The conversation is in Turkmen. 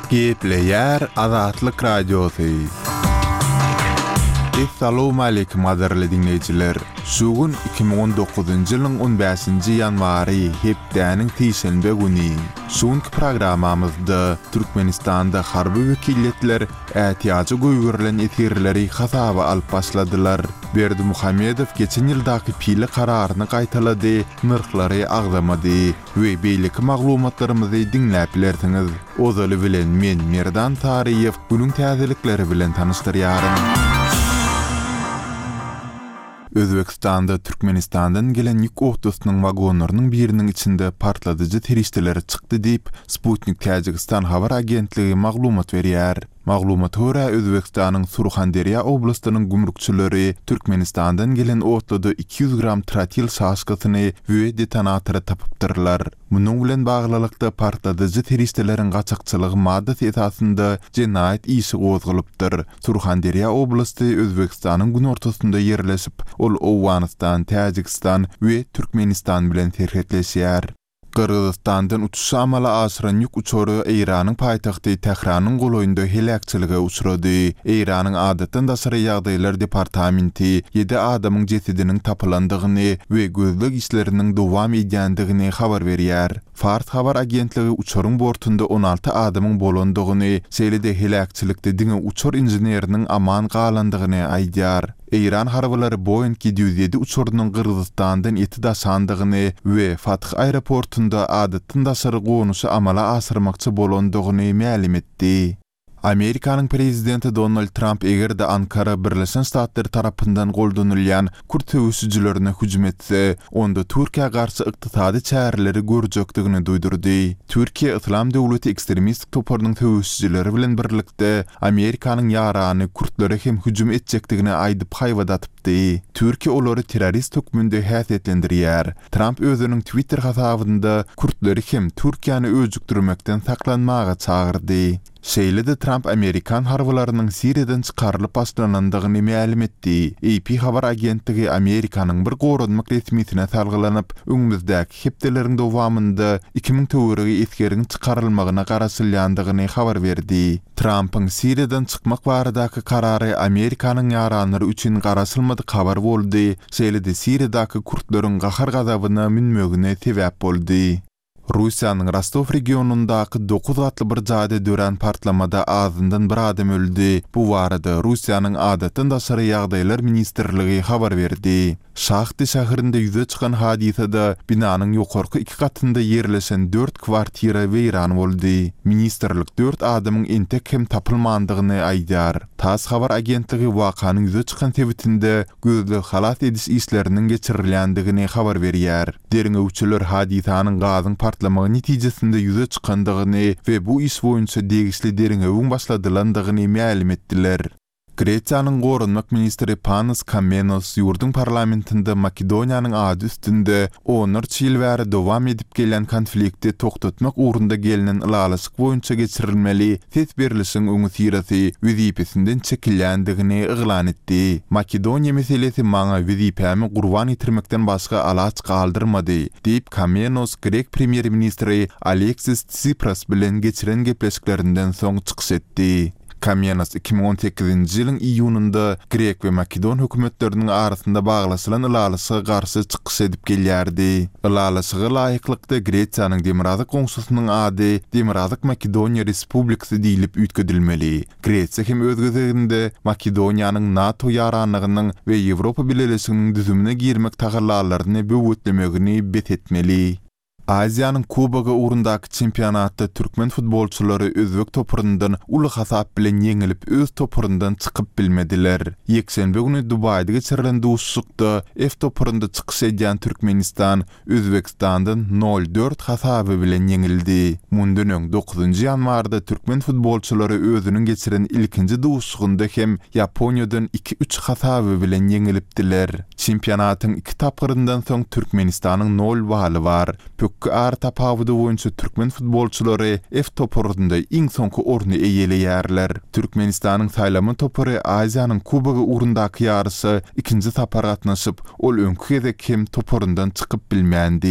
Gepleýär Azatlyk Radiosy. Essalowmaleýkim gadyrly diňleýjiler! Şu gün 2019-njy ýylyň on bäşinji ýanwary, hepdäniň sişenbe güni. Şu günki programmamyzda Türkmenistanda harby wekiliýetler ätiýaja goýberilen esgerleri hasaba alyp başladylar. Berdimuhamedow geçen ýyldaky pile kararyny gaýtalady, nyrhlary agzamady we beýleki maglumatlarymyzy diňläp bilersiňiz. Ozaly bilen men Merdan Saryýew günüň täzelikleri bilen tanyşdyrýaryn. Özbegistanda Türkmenistandan gelen ýük otlusynyň wagonlarynyň biriniň içinde partladyjy serişdeler çykdy diýip, Sputnik Täjigistan habar agentligi maglumat berýär. Maglumata görä, Özbegistanyň Surhanderýa oblastynyň gümrükçileri Türkmenistandan gelen otluda 200 gram trotil şaşkasyny we detonatory tapypdyrlar. Munuň bilen baglylykda, partladyjy serişdeleriň gaçakçylygy maddasy esasynda jenaýat işi gozgalypdyr. Surhanderýa oblasty Özbegistanyň günortasynda ýerleşip, ol Owganystan, Täjigistan we Türkmenistan bilen serhetleşýär. Gyrgyzystandan uçuşy amala aşyran ýük uçary Eýranyň paýtagty Tähranyň golaýynda heläkçilige uçrady. Eýranyň Adatdan daşary ýagdaýlar departamenti ýedi adamyň jesediniň tapylandygyny we gözleg işleriniň dowam edýändigini habar berýär. Fars habar agentligi uçaryň bortunda 16 adamyň bolandygyny, şeýle-de heläkçilikde diňe uçar inženeriniň aman galandygyny aýdýar. Eýran harbylary Boeing 707 uçarynyň Gyrgyzystandan eti daşandygyny we Fath aeroportunda adatdan daşary gonuşy amala aşyrmakçy bolandygyny mälim etdi. Amerikanyň prezidenti Donald Tramp eger-de Ankara Birleşen Ştatlar tarapyndan goldanylýan kürt söweşijilerine hüjüm etse, onda Türkiýä garşy ykdysady çäreleri görjekdigini duýdurdy. Türkiýe Yslam döwleti ekstremistik toparynyň söweşijileri bilen birlikde Amerikanyň ýarany kürtlere hem hüjüm etjekdigini aýdyp haýbat atypdy. Türkiýe olary terrorist hökmünde häsiýetlendirýär. Tramp özüniň Twitter hasabynda kürtleri hem Türkiýäni öjükdirmekden saklanmaga çagyrdy. Şeýle-de Tramp amerikan harbylarynyň Siriýadan çykarylyp başlanandygyny mälim etdi. AP habar agentligi Amerikanyň bir goranmak resmisine salgylanyp, öňümizdäki hepdeleriň dowamynda 2000 töweregi esgeriň çykarylmagyna garaşylýandygyny habar berdi. Trampyň Siriýadan çykmak baradaky karary Amerikanyň ýaranlary üçin garaşylmadyk habar boldy, şeýle-de Siriýadaky kürtleriň gahar-gazabyna münmegine sebäp boldy. Russiýanyň Rostow regionyndaky dokuz gatly bir jaýda dörän partlamada azyndan bir adam öldi. Bu barada Russiýanyň Adatdan daşary ýagdaýlar ministrligi habar berdi. Şahty şäherinde ýüze çykan hadysada binanyň ýokarky iki gatynda ýerleşen dört kwartira weýran boldy. Ministrlik dört adamyň entek hem tapylmandygyny aýdýar. Tass habar agentligi wakanyň ýüze çykan sebitinde gözleg-halas ediş işleriniň geçirilýändigini habar berýär. Derňewçiler hadysanyň gazyň partlamagy netijesinde ýüze çykandygyny we bu iş boýunça degişli derňewiň başladylandygyny mälim etdiler. Gresiýanyň goranmak ministri Panos Kammenos ýurduň parlamentinde Makedoniýanyň ady üstünde onlarça ýyl bäri dowam edip gelýän konflikti togtatmak ugrunda gelnen ylalaşyk boýunça geçirilmeli ses berlişigiň öňüsyrasy wezipesinden çekilýändigini yglan etdi. Makedoniýa meselesi maňa wezipämi gurban getirmekden başga alaç galdyrmady, diýip, Kammenos grek premýer-ministri Aleksis Tsipras bilen geçiren gepleşiklerinden soň çykyş etdi. Kamenos 2018-nji ýylyň iýunynda grek we makedon hökümetleriniň arasynda baglaşylan ylalaşyga garşy çykyş edip gelýärdi. Ylalaşyga laýyklykda Gresiýanyň demirgazyk goňşusynyň ady Demirgazyk Makedoniýa Respublikasy diýlip üýtgedilmeli. Gresiýa hem öz gezeginde Makedoniýanyň NATO ýaranlygynyň we Ýewropa Bileleşiginiň düzümine girmek tagallalaryny böwetlemegini bes etmeli. Aziýanyň Kubogy ugrundaky çempionatda türkmen futbolçylary özbek toparyndan uly hasap bilen ýeňilip öz toparyndan çykyp bilmediler. Ýekşenbe güni Dubaýda geçirilen duşuşykda F toparynda çykyş edýän Türkmenistan Özbegistandan nol, dört hasaby bilen ýeňildi. Mundan öň dokuzynjy ýanwarda türkmen futbolçylary özüniň geçiren ilkinji duşuşygynda hem Ýaponiýadan iki, üç hasaby bilen ýeňilipdiler. Çempionatyň iki tapgyryndan soň Türkmenistanyň nol baly bar. Pökgi aratapawudy boýunça türkmen futbolçylary F toparynda iň soňky orny eýeleýärler. Türkmenistanyň saýlama topary Aziýanyň Kubogy ugrundaky ýaryşa ikinji sapar gatnaşyp, ol öňki gezek hem toparyndan çykyp bilmändi.